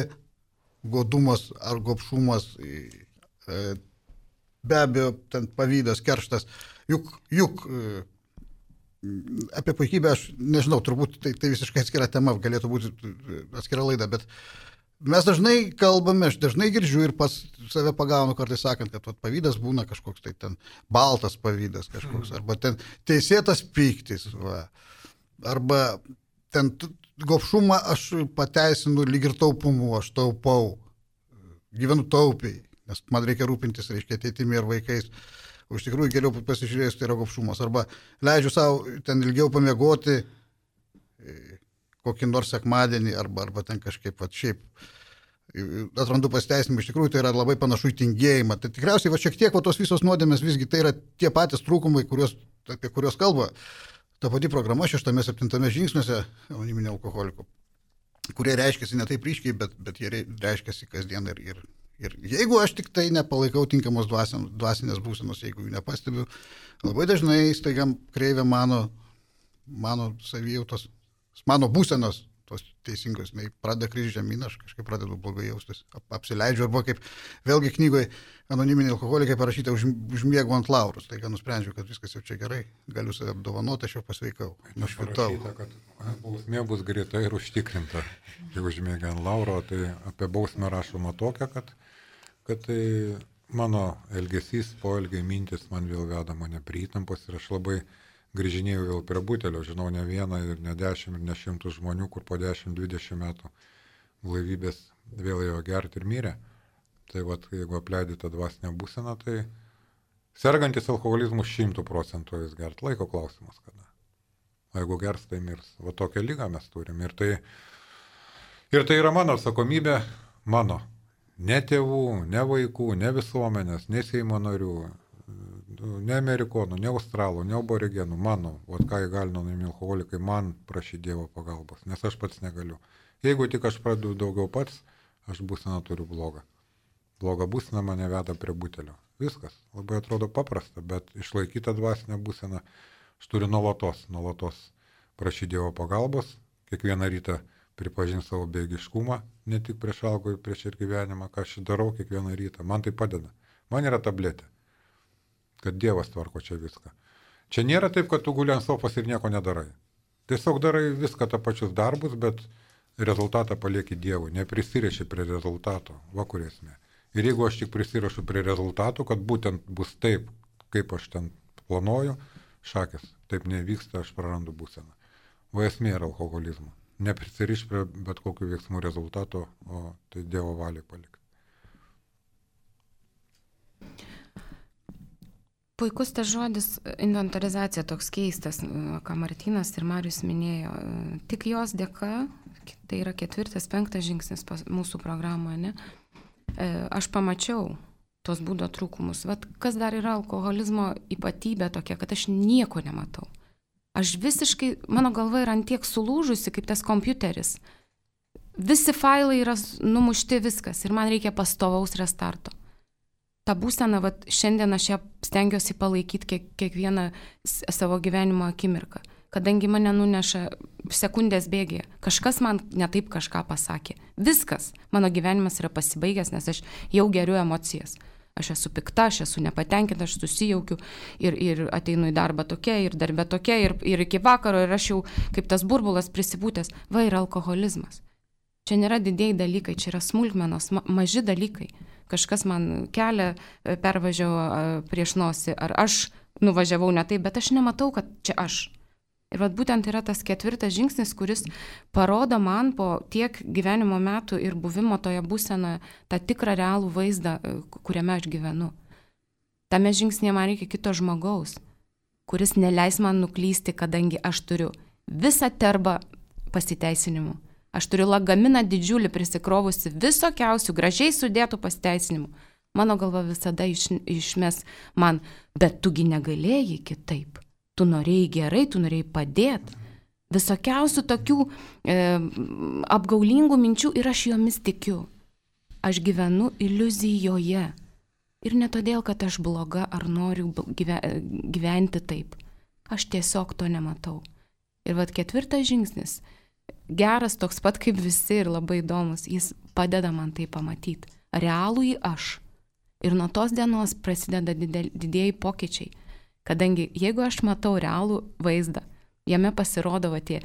godumas ar gobšumas, be abejo, ten pavydas, kerštas. Juk apie puikybę aš nežinau, turbūt tai visiškai atskira tema, galėtų būti atskira laida, bet mes dažnai kalbame, aš dažnai girdžiu ir pats save pagaunu kartais sakant, kad pavydas būna kažkoks tai ten baltas pavydas kažkoks, arba ten teisėtas pyktis, arba ten gobšumą aš pateisinu lyg ir taupumu, aš taupau, gyvenu taupiai, nes man reikia rūpintis, reiškia, ateitimi ir vaikais. O iš tikrųjų geriau pasižiūrėjus, tai yra gobšumas. Arba leidžiu savo ten ilgiau pamiegoti kokį nors sekmadienį, arba ten kažkaip šiaip atrandu pasiteisinimą. Iš tikrųjų tai yra labai panašu į tingėjimą. Tai tikriausiai šiek tiek tos visos nuodėmės visgi tai yra tie patys trūkumai, apie kuriuos kalba ta pati programa 6-7 žingsniuose anoniminių alkoholikų. kurie reiškiasi ne taip ryškiai, bet jie reiškiasi kasdien ir jeigu aš tik tai nepalaikau tinkamos dvasinės būsenos, jeigu jų nepastebiu, labai dažnai staiga kreivia mano savijautos, mano būsenos, tos teisingos, pradeda kristi žemyn, aš kažkaip pradedu blogai jaustis, apsileidžiu, arba kaip vėlgi knygoje anoniminiai alkoholikai parašyta užmiegu ant laurus, tai nusprendžiu, kad viskas jau čia gerai, galiu save apdovanoti, aš jau pasveikau, nušvitau. Kad bausmė bus greita ir užtikrinta, jeigu užmiegi ant lauro, tai apie bausmę rašoma tokia, kad tai mano elgesys, poelgiai, mintis man vėl veda mane prie įtampos ir aš labai grįžinėjau vėl prie butelio, žinau ne vieną ir ne 10 ir ne 100 žmonių, kur po 10-20 metų blaivybės vėl ėjo gerti ir mirė. Tai vat, jeigu apleidai tą dvasinę būseną, tai sergantis alkoholizmu 100% jis gert, laiko klausimas kada. O jeigu gers, tai mirs. Va tokią lygą mes turim. Ir tai yra mano atsakomybė, mano. Ne tėvų, ne vaikų, ne visuomenės, ne Seimo narių, ne amerikonų, ne australų, ne aborigenų, mano, vat ką įgalino anoniminiai alkoholikai, man prašyti Dievo pagalbos, nes aš pats negaliu. Jeigu tik aš pradedu daugiau pats, aš būseną turiu blogą. Bloga būsena mane veda prie butelio. Viskas, labai atrodo paprasta, bet išlaikytą dvasinę būseną aš turiu nuolatos prašyti Dievo pagalbos, kiekvieną rytą pripažinti savo bejėgiškumą, ne tik prieš alkoholį, prieš ir gyvenimą, ką aš darau kiekvieną rytą. Man tai padeda. Man yra tabletė, kad Dievas tvarko čia viską. Čia nėra taip, kad tu guli ant sofos ir nieko nedarai. Tiesiog darai viską tą pačius darbus, bet rezultatą palieki Dievui, neprisiriši prie rezultato, va kur esmė. Ir jeigu aš tik prisirašu prie rezultatų, kad būtent bus taip, kaip aš ten planuoju, šakės, taip nevyksta, aš prarandu būseną. Va esmė yra alkoholizmo. Neprisiriš prie bet kokių veiksmų rezultato, o tai Dievo valiai palikti. Puikus tas žodis inventorizacija, toks keistas, ką Martynas ir Marius minėjo. Tik jos dėka, tai yra 4-5 žingsnis mūsų programoje, ne? Aš pamačiau tos būdo trūkumus. Vat kas dar yra alkoholizmo ypatybė tokia, kad aš nieko nematau. Aš visiškai, mano galva yra antiek sulūžusi, kaip tas kompiuteris. Visi failai yra numušti, viskas, ir man reikia pastovaus restarto. Ta būsena, vat, šiandien aš ją stengiuosi palaikyti kiekvieną savo gyvenimo akimirką, kadangi mane nuneša sekundės bėgėje. Kažkas man netaip kažką pasakė. Viskas, mano gyvenimas yra pasibaigęs, nes aš jau geriu emocijas. Aš esu pikta, aš esu nepatenkinta, aš susijaukiu ir ateinu į darbą tokia, ir darbę tokia, ir iki vakaro, ir aš jau kaip tas burbulas prisipūtęs. Va yra alkoholizmas. Čia nėra didieji dalykai, čia yra smulkmenos, maži dalykai. Kažkas man kelią pervažiavo prieš nosį, ar aš nuvažiavau ne taip, bet aš nematau, kad čia aš. Ir vat būtent yra tas 4 žingsnis, kuris parodo man po tiek gyvenimo metų ir buvimo toje būsenoje tą tikrą realų vaizdą, kuriame aš gyvenu. Tame žingsnėje man reikia kito žmogaus, kuris neleis man nuklysti, kadangi aš turiu visą terbą pasiteisinimų. Aš turiu lagaminą didžiulį prisikrovusi visokiausių gražiai sudėtų pasiteisinimų. Mano galva visada išmes man, bet tugi negalėjai kitaip. Tu norėjai gerai, tu norėjai padėti. Visokiausių tokių apgaulingų minčių ir aš jomis tikiu. Aš gyvenu iliuzijoje. Ir ne todėl, kad aš bloga ar noriu gyventi taip. Aš tiesiog to nematau. Ir vat 4 žingsnis. Geras toks pat kaip visi ir labai įdomus, jis padeda man tai pamatyti. Realųjį aš. Ir nuo tos dienos prasideda didieji pokyčiai. Kadangi jeigu aš matau realų vaizdą, jame pasirodo tie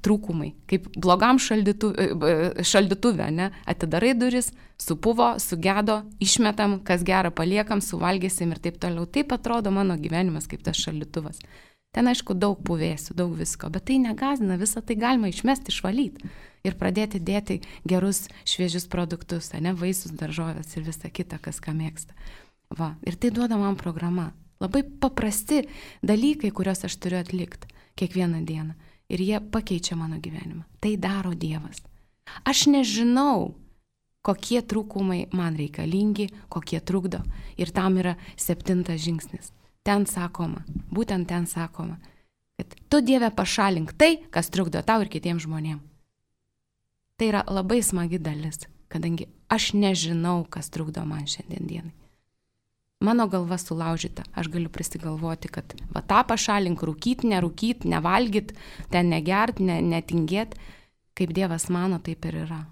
trūkumai, kaip blogam šaldytuve, ne? Atidarai duris, supuvo, sugedo, išmetam, kas gera paliekam, suvalgysim ir taip toliau. Taip atrodo mano gyvenimas kaip tas šaldytuvas. Ten, aišku, daug puvėsių, daug visko, bet tai negazina, visą tai galima išmesti, išvalyti ir pradėti dėti gerus, šviežius produktus, ne, vaisius, daržovės ir visą kitą, kas ką mėgsta. Va, ir tai duoda man programa. Labai paprasti dalykai, kuriuos aš turiu atlikti kiekvieną dieną ir jie pakeičia mano gyvenimą. Tai daro Dievas. Aš nežinau, kokie trūkumai man reikalingi, kokie trukdo ir tam yra 7 žingsnis. Ten sakoma, būtent ten sakoma, kad tu Dieve pašalink tai, kas trukdo tau ir kitiems žmonėms. Tai yra labai smagi dalis, kadangi aš nežinau, kas trukdo man šiandien dienai. Mano galva sulaužyta, aš galiu prisigalvoti, kad va tą pašalink, rūkyt, nerūkyt, nevalgyt, ten negert, netingėt, kaip Dievas mano, taip ir yra.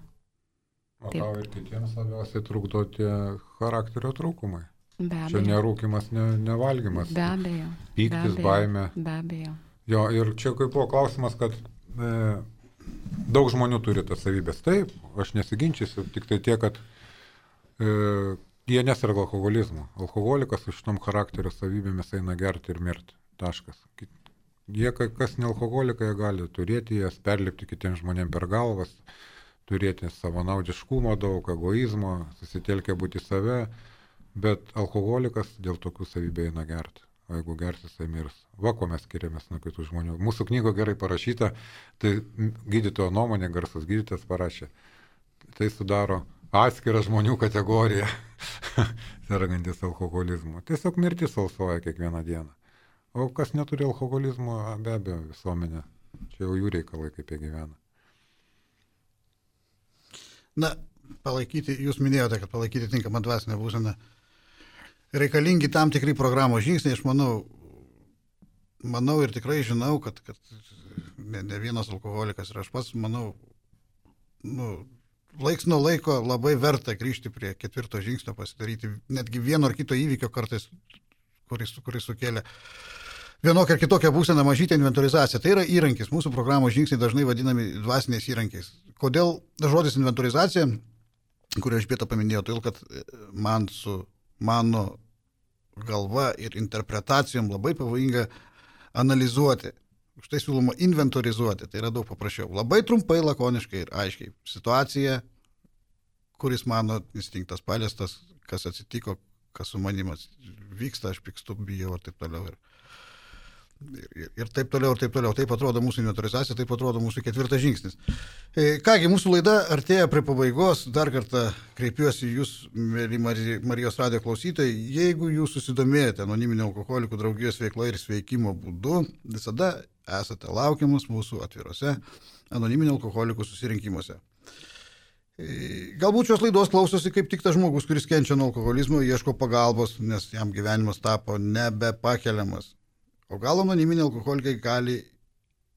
O tau ir kitiems labiausiai trukdo tie charakterio trūkumai. Be abejo. Čia nerūkimas, nevalgymas. Be abejo. Pyktis, baimė. Be abejo. Jo, ir čia kaip buvo klausimas, kad daug žmonių turi tas savybės. Taip, aš nesiginčysiu, tik tai tiek, kad jie neserga alkoholizmu. Alkoholikas su šitom charakterio savybėmis eina gerti ir mirti. Taškas. Jie, kas ne alkoholikai, gali turėti jas, perlipti kitiems žmonėms per galvas, turėti savanaudiškumo daug, egoizmo, susitelkę būti save, bet alkoholikas dėl tokių savybių eina gerti. O jeigu gersis, tai mirs. Va, ko mes skiriamės nuo kitų žmonių. Mūsų knygo gerai parašyta, tai gydytojo nuomonė, garsus gydytojas parašė. Tai sudaro atskirą žmonių kategoriją, sergantis alkoholizmu. Tiesiog mirtis alsuoja kiekvieną dieną. O kas neturi alkoholizmo, be abejo, visuomenė. Čia jau jų reikalai, kaip jie gyvena. Na, palaikyti, jūs minėjote, kad palaikyti tinkamą dvasinę būseną. Reikalingi tam tikri programos žingsniai, aš manau ir tikrai žinau, kad ne vienas alkoholikas ir aš pats manau, laiks nuo laiko labai verta grįžti prie 4 žingsnio, pasidaryti netgi vieno ar kito įvykio kartais, kuris sukėlė vienokią ar kitokią būseną, mažytę inventorizaciją. Tai yra įrankis, mūsų programos žingsniai dažnai vadinami dvasiniais įrankiais. Kodėl žodis inventorizacija, kurį aš Elžbieta paminėjau, todėl kad man su mano galva ir interpretacijom labai pavojinga analizuoti. Už tai siūloma inventorizuoti, tai yra daug paprasčiau. Labai trumpai, lakoniškai ir aiškiai. Situacija, kuris mano instinktas paliestas, kas atsitiko, kas su manimas vyksta, aš pykstu, bijau ir taip toliau. Ir taip toliau, ir taip toliau. Taip atrodo mūsų inventorizacija, taip atrodo mūsų 4 žingsnis. Kągi, mūsų laida artėja prie pabaigos. Dar kartą kreipiuosi jūs, mėly Marijos radijo klausytojai. Jeigu jūs susidomėjote anoniminių alkoholikų draugijos veikla ir sveikimo būdu, visada esate laukiamus mūsų atvirose anoniminių alkoholikų susirinkimuose. Galbūt šios laidos klausosi kaip tik tas žmogus, kuris kenčia nuo alkoholizmo, ieško pagalbos, nes jam gyvenimas tapo nebepakeliamas. O gal anoniminiai alkoholikai gali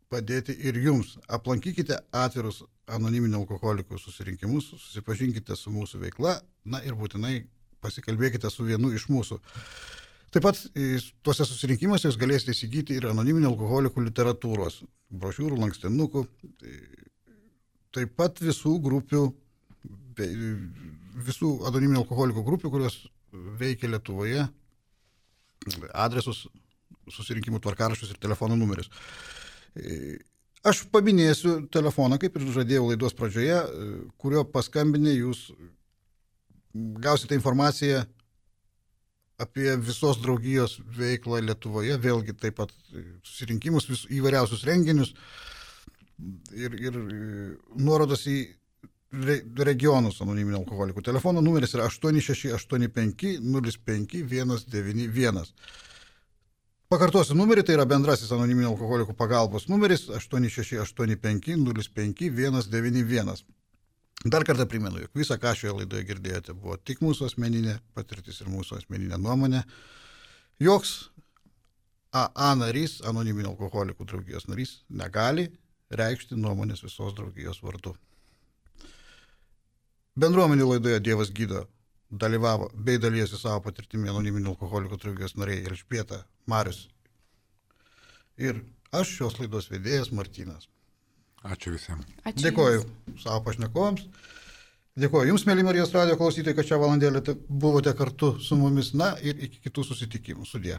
padėti ir jums. Aplankykite atvirus anoniminių alkoholikų susirinkimus, susipažinkite su mūsų veikla, na ir būtinai pasikalbėkite su vienu iš mūsų. Taip pat tuose susirinkimuose jūs galėsite įsigyti ir anoniminių alkoholikų literatūros, brošiūrų, lankstinukų, taip pat visų anoniminių alkoholikų grupių, kurios veikia Lietuvoje, adresus, susirinkimų tvarkaraščius ir telefono numerius. Aš paminėsiu telefoną, kaip ir žadėjau laidos pradžioje, kurio paskambinę jūs gausite informaciją apie visos draugijos veiklą Lietuvoje, vėlgi taip pat susirinkimus, įvairiausius renginius ir nuorodas į regionus anoniminių alkoholikų. Telefono numeris yra 8685 05 191. Pakartosiu numerį, tai yra bendrasis anoniminių alkoholikų pagalbos numeris 8685 05 191. Dar kartą primenu, jog visą, ką šioje laidoje girdėjote, buvo tik mūsų asmeninė patirtis ir mūsų asmeninė nuomonė. Joks AA narys, anoniminių alkoholikų draugijos narys, negali reikšti nuomonės visos draugijos vardu. Bendruomenių laidoje Dievas gydo dalyvavo bei dalyjosi savo patirtimi anoniminių alkoholikų draugijos nariai Elžbieta, Marius ir aš, šios laidos vedėjas Martynas. Ačiū visiems. Dėkoju savo pašnekovams. Dėkoju jums, mėly Marijos radijo klausytojai, kad šią valandėlę buvote kartu su mumis. Na ir iki kitų susitikimų. Sudie.